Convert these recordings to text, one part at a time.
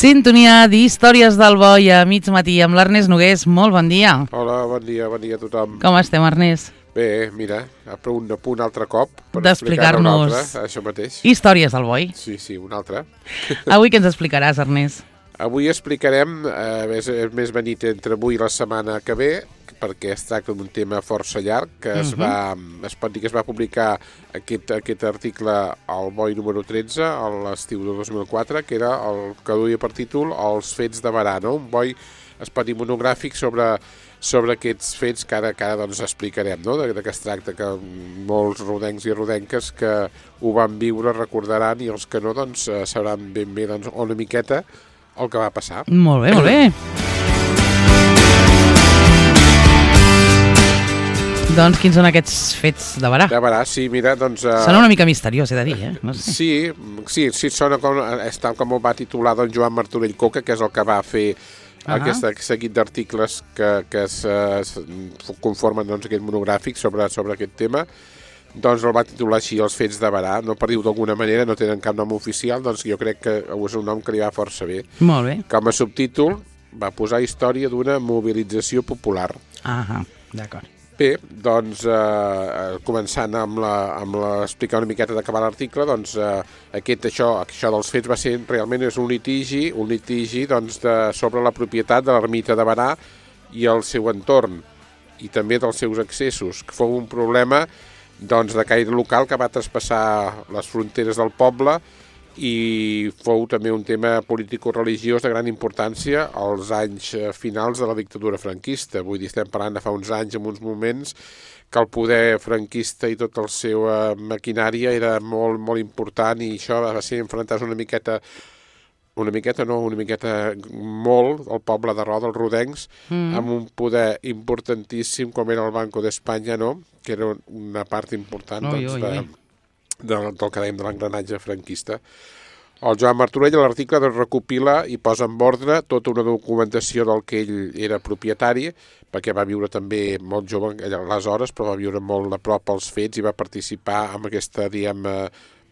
Sintonia d'Històries del Boi a mig matí amb l'Ernest Nogués. Molt bon dia. Hola, bon dia a tothom. Com estem, Ernest? Bé, mira, a punt altre cop per d'explicar-nos això mateix. Històries del Boi. Sí, un altre. Avui què ens explicaràs, Ernest? Avui explicarem, és més benit entre avui i la setmana que ve, perquè es tracta d'un tema força llarg, que es pot dir que es va publicar aquest article al Boi número 13, a l'estiu de 2004, que era el que duia per títol Els fets de Berà, no? Un boi, es pot dir, monogràfic sobre aquests fets que ara doncs explicarem, no? De què es tracta, que molts rodencs i rodenques que ho van viure recordaran, i els que no doncs sabran ben bé doncs, una miqueta el que va passar. Molt bé, molt bé. Doncs quins són aquests fets de Berà? De Berà, sí, mira, doncs... Sona una mica misteriós, he de dir, eh? No sé. Sí, sona com, tal com ho va titular doncs, Joan Martorell Coca, que és el que va fer aquest seguit d'articles que es conformen doncs, aquest monogràfic sobre aquest tema. Doncs el va titular així, Els fets de Berà, no per dir-ho d'alguna manera, no tenen cap nom oficial, doncs jo crec que és un nom que li va força bé. Molt bé. Com a subtítol va posar Història d'una mobilització popular. D'acord. Bé, doncs, començant amb explicar una miqueta d'acabar l'article, doncs, això dels fets va ser, realment és un litigi doncs, sobre la propietat de l'ermita de Berà i el seu entorn, i també dels seus accessos, que fou un problema doncs, de caire local que va traspassar les fronteres del poble i fou també un tema político-religiós de gran importància als anys finals de la dictadura franquista. Vull dir, estem parlant de fa uns anys, en uns moments, que el poder franquista i tota la seva maquinària era molt, molt important, i això va ser enfrontar-se una miqueta molt el poble de Roda, els rodencs, amb un poder importantíssim com era el Banco d'Espanya, no? Que era una part important del que dèiem de l'engranatge franquista. El Joan Martorell a l'article recopila i posa en ordre tota una documentació del que ell era propietari, perquè va viure també molt jove aleshores, però va viure molt a prop els fets i va participar en aquesta,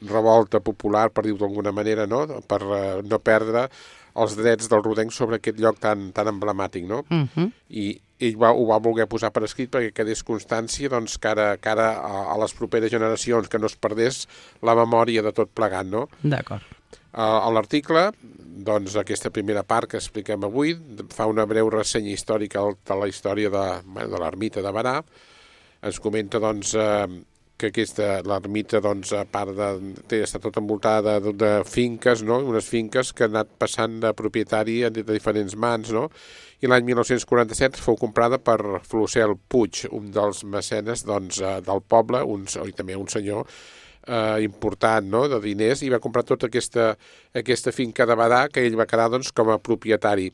revolta popular, per dir-ho d'alguna manera, no? Per no perdre els drets del rodenc sobre aquest lloc tan emblemàtic, no? I ell ho va voler posar per escrit perquè quedés constància, doncs, que ara a les properes generacions, que no es perdés la memòria de tot plegat, no? D'acord. A l'article, doncs, aquesta primera part que expliquem avui, fa una breu ressenya històrica de la història de l'ermita de Berà. Ens comenta, doncs, que l'ermita, doncs, a part està tot envoltada de finques, no? Unes finques que han anat passant de propietari de diferents mans, no? I l'any 1947 fou comprada per Flocel Puig, un dels mecenes, doncs, del poble, i també un senyor important, no? De diners, i va comprar tota aquesta finca de Berà, que ell va quedar, doncs, com a propietari.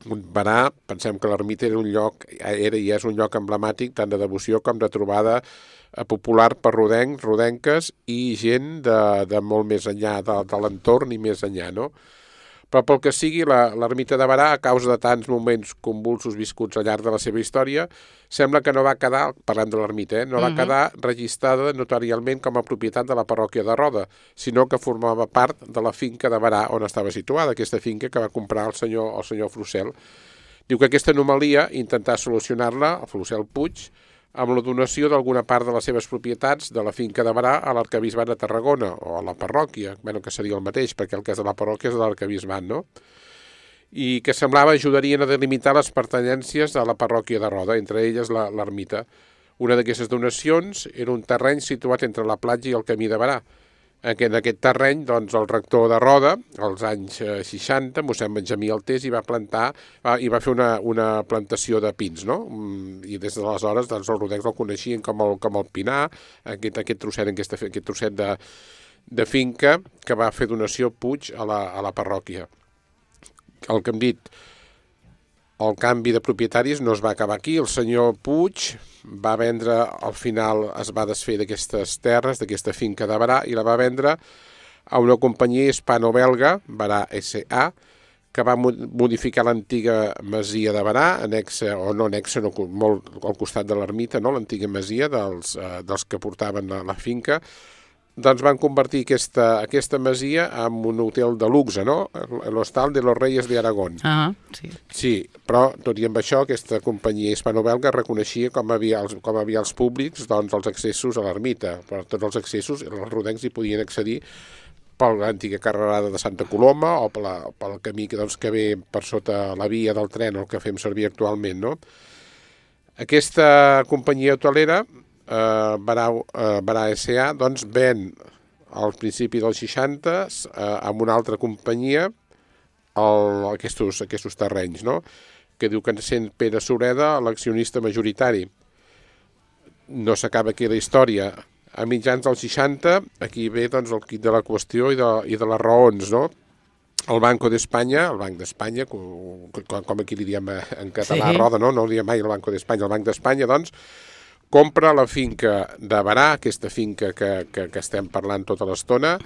Berà, pensem que l'ermita era i és un lloc emblemàtic tant de devoció com de trobada popular per rodencs, rodenques i gent de molt més enllà de l'entorn i més enllà, no? Però pel que sigui, l'ermita de Berà, a causa de tants moments convulsos viscuts al llarg de la seva història, sembla que no va quedar, parlant de l'ermita, no va quedar registrada notarialment com a propietat de la parròquia de Roda, sinó que formava part de la finca de Berà on estava situada, aquesta finca que va comprar el senyor Flocel. Diu que aquesta anomalia intentar solucionar-la, el Flocel Puig, amb la donació d'alguna part de les seves propietats de la finca de Berà a l'arquebisbat de Tarragona, o a la parròquia, que seria el mateix, perquè el cas de la parròquia és de l'arquebisbat, no? I que semblava ajudarien a delimitar les pertanyències a la parròquia de Roda, entre elles l'ermita. Una d'aquestes donacions era un terreny situat entre la platja i el camí de Berà. En aquest terreny, doncs, el rector de Roda, als anys 60, mossèn Benjamí Altés, hi va fer una plantació de pins, no? I des d'aleshores, doncs, els rodencs el coneixien com el Pinar, aquest trosset de finca que va fer donació Puig a la parròquia. El que hem dit, el canvi de propietaris no es va acabar aquí. El senyor Puig va vendre, al final es va desfer d'aquestes terres, d'aquesta finca de Berà, i la va vendre a una companyia hispano-belga, Berà S.A., que va modificar l'antiga masia de Berà, molt al costat de l'ermita, no? L'antiga masia dels que portaven la finca, doncs van convertir aquesta masia en un hotel de luxe, no? L'Hostal de los Reyes de Aragón. Sí. Sí, però tot i amb això, aquesta companyia hispano-belga reconeixia com havia els públics doncs, els accessos a l'ermita. Per tots els accessos, els rodencs hi podien accedir per l'antiga carrerada de Santa Coloma o pel camí que ve per sota la via del tren, el que fem servir actualment, no? Aquesta companyia hotelera, Barà S.A., doncs ven al principi dels 60 amb una altra companyia aquests terrenys, no? Que diu que sent Pere Sureda l'accionista majoritari. No s'acaba aquí la història. A mitjans dels 60, aquí ve doncs, el quid de la qüestió i de les raons, no? El Banco d'Espanya, com aquí li diem en català, sí. Roda, no ho diem mai el Banco d'Espanya, el Banc d'Espanya, doncs, compra la finca de Barà, aquesta finca que estem parlant tota l'estona,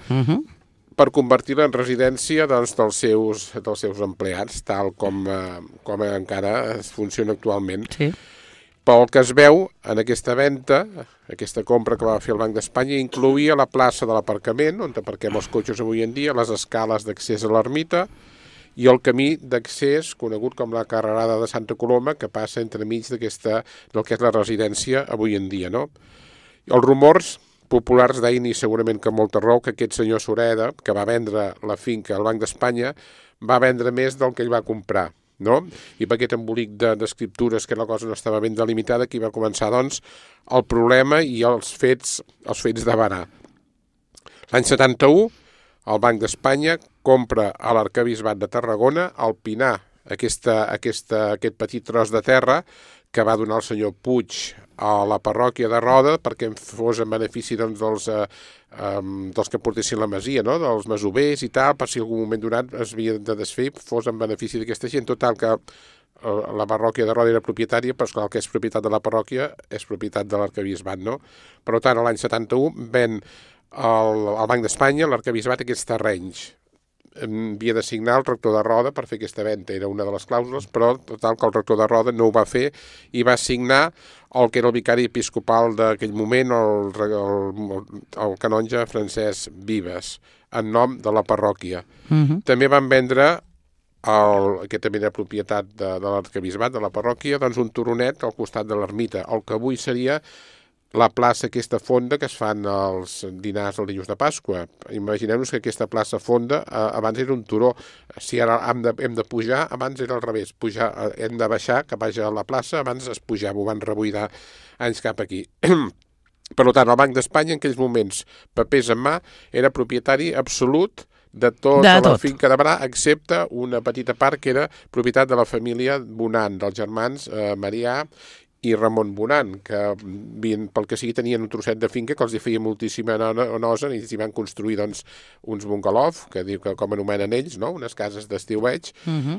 per convertir-la en residència doncs, dels seus empleats, tal com encara funciona actualment. Sí. Pel que es veu, en aquesta venda, aquesta compra que va fer el Banc d'Espanya, incloïa la plaça de l'aparcament, on aparquem els cotxes avui en dia, les escales d'accés a l'ermita i el camí d'accés, conegut com la carrerada de Santa Coloma, que passa entremig del que és la residència avui en dia, no? Els rumors populars deien, i segurament que amb molta raó, que aquest senyor Sureda, que va vendre la finca al Banc d'Espanya, va vendre més del que ell va comprar, no? I per aquest embolic d'escriptures que la cosa no estava ben delimitada, aquí va començar, doncs, el problema i els fets de Barà. L'any 71, el Banc d'Espanya compra a l'Arquebisbat de Tarragona el Pinar, aquest petit tros de terra que va donar el senyor Puig a la parròquia de Roda perquè fos en benefici doncs, dels que portessin la masia, no? Dels masovers i tal, per si en algun moment donat es havia de desfer, fos en benefici d'aquesta gent. Total, que la parròquia de Roda era propietària, però esclar, el que és propietat de la parròquia és propietat de l'Arquebisbat, no? Per tant, l'any 71 ven al Banc d'Espanya, l'Arquebisbat, aquests terrenys. Havia de signar el rector de Roda per fer aquesta venda, era una de les clàusules, però total que el rector de Roda no ho va fer i va signar el que era el vicari episcopal d'aquell moment, el canonge Francesc Vives, en nom de la parròquia. També van vendre, que també era propietat de l'Arquebisbat, de la parròquia, doncs un turonet al costat de l'ermita, el que avui seria la plaça aquesta fonda que es fan els dinars els dilluns de Pasqua. Imaginem-nos que aquesta plaça fonda abans era un turó. Si ara hem de pujar, abans era al revés. Hem de baixar, que vagi a la plaça, abans es pujava, ho van rebuidar anys cap aquí. Per tant, el Banc d'Espanya en aquells moments, papers en mà, era propietari absolut de tota la finca de Barà, excepte una petita part que era propietat de la família Bonan, dels germans Marià i Ramon Bonan, que pel que sigui tenien un trosset de finca que els feia moltíssima nosa i s'hi van construir doncs, uns bungalows, que diu que com anomenen ells, no? Unes cases d'estiueig,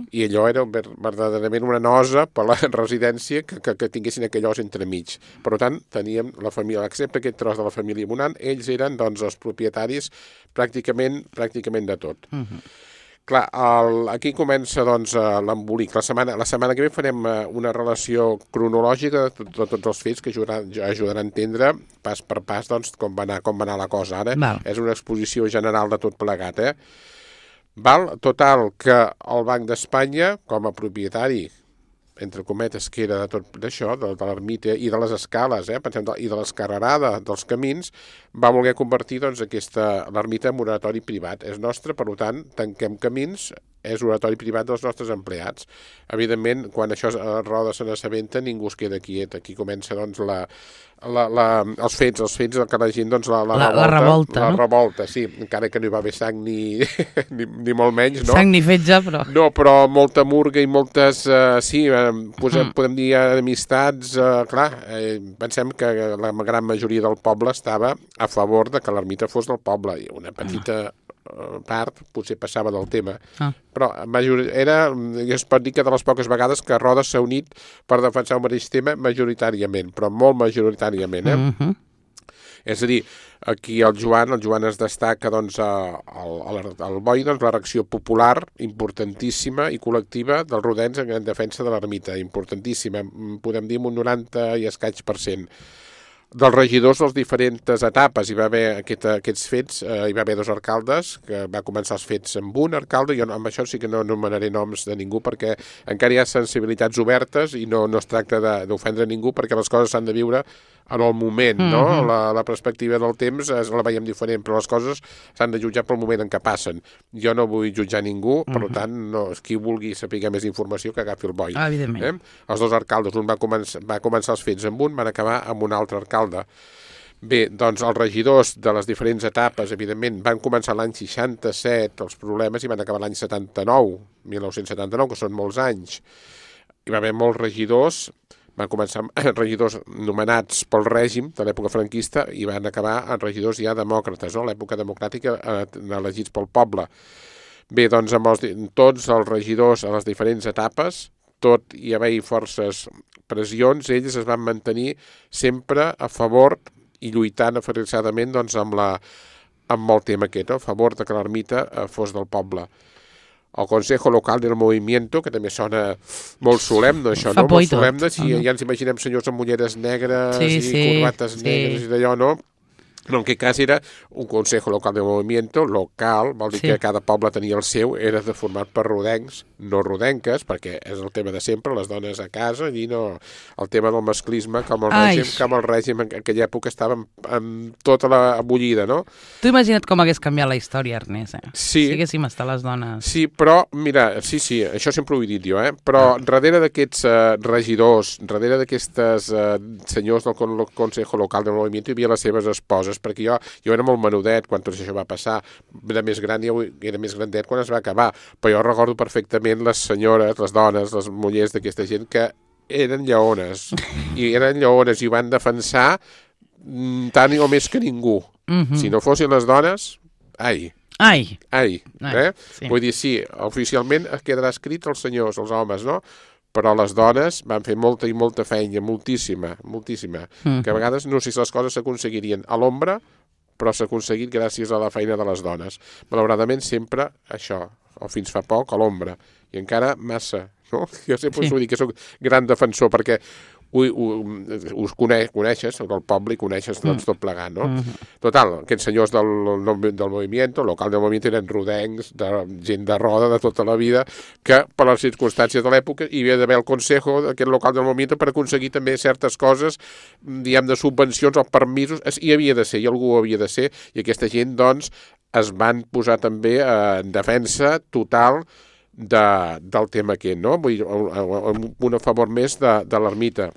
i allò era verdaderament una nosa per la residència que tinguessin aquell os entremig. Per tant, teníem la família, excepte aquest tros de la família Bonan, ells eren doncs, els propietaris pràcticament de tot. Clar, aquí comença doncs, l'embolic. La setmana que ve farem una relació cronològica de tots els fets que ajudarà a entendre pas per pas doncs, com va anar la cosa ara. És una exposició general de tot plegat. Total, que el Banc d'Espanya, com a propietari, entre cometes, que era de tot d'això, de l'ermita i de les escales, i de l'escarrerada dels camins, va voler convertir doncs, l'ermita en oratori privat. És nostre, per tant, tanquem camins, és oratori privat dels nostres empleats. Evidentment, quan això a Roda se n'assabenta, ningú es queda quiet. Aquí comença doncs, els fets que la gent doncs, la revolta. La revolta, sí, encara que no hi va haver sang ni molt menys. No? Sang ni fetge, però... No, però molta murga i moltes, podem dir amistats, clar, pensem que la gran majoria del poble estava a favor de que l'ermita fos del poble, i una petita part potser passava del tema, però es pot dir que de les poques vegades que Roda s'ha unit per defensar el mateix tema majoritàriament, però molt majoritàriament, És a dir, aquí el Joan es destaca doncs, al Boi, doncs, la reacció popular importantíssima i col·lectiva dels rodens en defensa de l'ermita, importantíssima, podem dir un 90 i escaig %. Dels regidors de les diferents etapes hi va haver aquests fets, hi va haver 2 alcaldes, que va començar els fets amb un alcalde, jo amb això sí que no anomenaré noms de ningú perquè encara hi ha sensibilitats obertes i no es tracta d'ofendre ningú perquè les coses s'han de viure en el moment, no? La perspectiva del temps la veiem diferent, però les coses s'han de jutjar pel moment en què passen. Jo no vull jutjar ningú, per tant, qui vulgui saber més informació que agafi el boi. Evidentment. Els 2 alcaldes, un va començar els fets amb un, van acabar amb un altre alcalde. Bé, doncs els regidors de les diferents etapes, evidentment, van començar l'any 67 els problemes i van acabar l'any 1979, que són molts anys. Hi va haver molts regidors, van començar regidors nomenats pel règim de l'època franquista i van acabar en regidors ja demòcrates, no? L'època democràtica elegits pel poble. Bé, doncs amb tots els regidors a les diferents etapes, tot i haver-hi forces pressions, ells es van mantenir sempre a favor i lluitant aferrissadament doncs, amb el tema aquest, no? A favor de que l'ermita fos del poble. El Consejo Local del Movimiento, que també sona molt solemne, això, no? Molt solemne, si ja ens imaginem senyors amb ulleres negres i corbates negres i d'allò, no? No, en aquest cas era un Consejo Local de Movimiento, local, vol dir que cada poble tenia el seu, era de format per rodencs, no rodenques, perquè és el tema de sempre, les dones a casa, i no el tema del masclisme, com el règim en aquella època estava amb tota la bullida, no? Tu imagina't com hagués canviat la història, Ernest, Sí. Si haguéssim estat les dones. Sí, però, mira, sí, això sempre ho he dit jo, però darrere d'aquests regidors, darrere d'aquestes senyors del Consejo Local del Movimiento hi havia les seves esposes, perquè jo era molt menudet quan tot això va passar, era més gran, era més grandet quan es va acabar, però jo recordo perfectament les senyores, les dones, les mullers d'aquesta gent que eren lleones, i ho van defensar tant o més que ningú. Si no fossin les dones, ai. Sí. Vull dir, sí, oficialment quedarà escrit els senyors, els homes, no? Però les dones van fer molta i molta feina, moltíssima, que a vegades no sé si les coses s'aconseguirien a l'ombra, però s'ha aconseguit gràcies a la feina de les dones. Malauradament sempre això, o fins fa poc, a l'ombra, i encara massa, no? Jo sempre us ho dic que soc gran defensor, perquè us coneixes, del poble, i coneixes doncs, tot plegat, no? Total, aquests senyors del movimiento, local del movimiento, eren rodencs, gent de roda de tota la vida, que per les circumstàncies de l'època hi havia d'haver el consejo d'aquest local del movimiento per aconseguir també certes coses, diguem, de subvencions o permisos, hi havia de ser, i algú havia de ser, i aquesta gent, doncs, es van posar també en defensa total del tema aquest, no? Vull dir, un a favor més de l'ermita.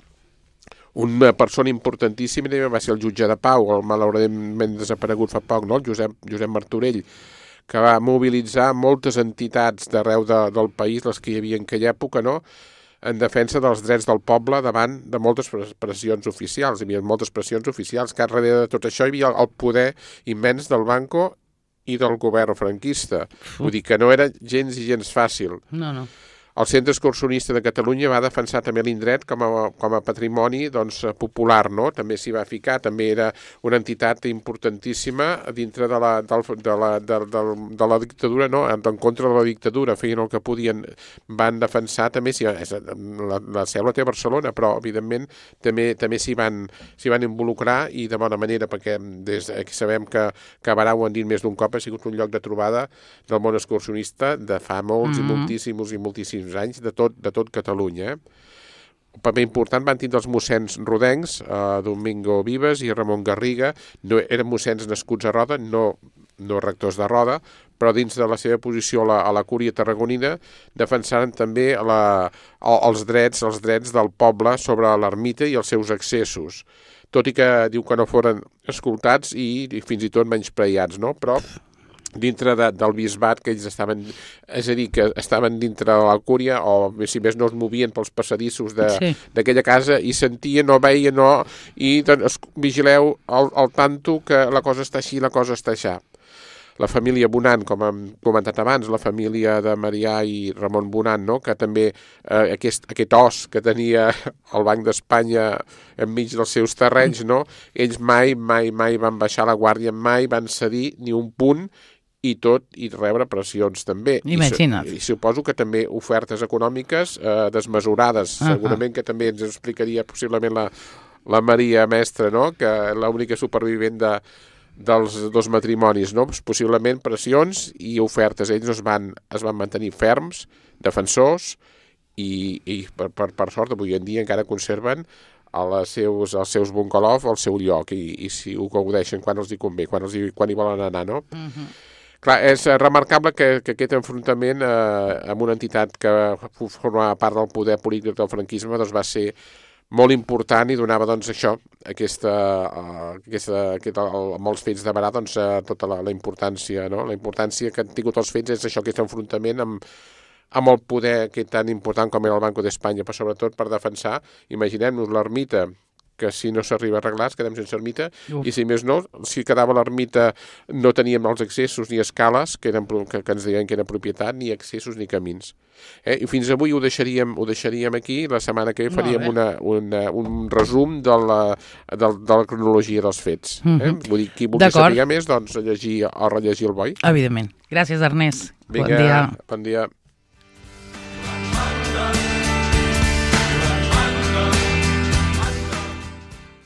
Una persona importantíssima va ser el jutge de pau, el malauradament desaparegut fa poc, no? El Josep Martorell, que va mobilitzar moltes entitats d'arreu del país, les que hi havia en aquella època, no?, en defensa dels drets del poble davant de moltes pressions oficials. Hi havia moltes pressions oficials, que darrere de tot això hi havia el poder immens del banco i del govern franquista. Vull dir que no era gens i gens fàcil. No. El Centre Excursionista de Catalunya va defensar també l'indret com a patrimoni doncs, popular, no? També s'hi va ficar, també era una entitat importantíssima dintre de la dictadura, no? En contra de la dictadura, feien el que podien, van defensar també, la seu la té a Barcelona, però evidentment també s'hi van involucrar i de bona manera, perquè des que sabem que Barà, ho han dit més d'un cop, ha sigut un lloc de trobada del món excursionista de fa molts i moltíssims anys de tot Catalunya. Un paper important van tindre els mossens rodencs, Domingo Vives i Ramon Garriga. No eren mossens nascuts a Roda, no rectors de Roda, però dins de la seva posició a la cúria tarragonina defensaren també els drets del poble sobre l'ermita i els seus accessos, tot i que diu que no foren escoltats i fins i tot menyspreats, no? Però dintre del bisbat, que ells estaven, és a dir, que estaven dintre de la cúria, o si més no es movien pels passadissos d'aquella casa i sentien o veien i doncs, vigileu al tanto que la cosa està així, la cosa està així. La família Bonant, com hem comentat abans, la família de Marià i Ramon Bonant, no? Que també aquest os que tenia el Banc d'Espanya enmig dels seus terrenys, no? Ells mai van baixar la guàrdia, mai van cedir ni un punt, i rebre pressions també. Imagina't. I suposo que també ofertes econòmiques desmesurades. Segurament que també ens explicaria possiblement la Maria Mestre, no? Que l'única supervivent dels dos matrimonis, no? Possiblement pressions i ofertes. Ells es van mantenir ferms, defensors, i per sort avui en dia encara conserven els seus bungalov al seu lloc i si ho gaudeixen quan els hi convé, quan hi volen anar, no? Clar, és remarcable que aquest enfrontament amb una entitat que formava part del poder polític del franquisme doncs va ser molt important i donava doncs això, amb els fets de Berà, doncs tota la importància, no? La importància que han tingut els fets és això, aquest enfrontament amb el poder que tan important com era el Banco d'Espanya, però sobretot per defensar, imaginem-nos l'ermita, que si no s'arriba a arreglar es quedem sense ermita, i si més no, si quedava l'ermita no teníem els accessos ni escales que ens deien que era propietat, ni accessos ni camins. I fins avui ho deixaríem aquí, la setmana que ve faríem un resum de la cronologia dels fets. Vull dir, qui vulgui saber més, doncs llegir o rellegir el boi. Evidentment. Gràcies, Ernest. Vinga, bon dia.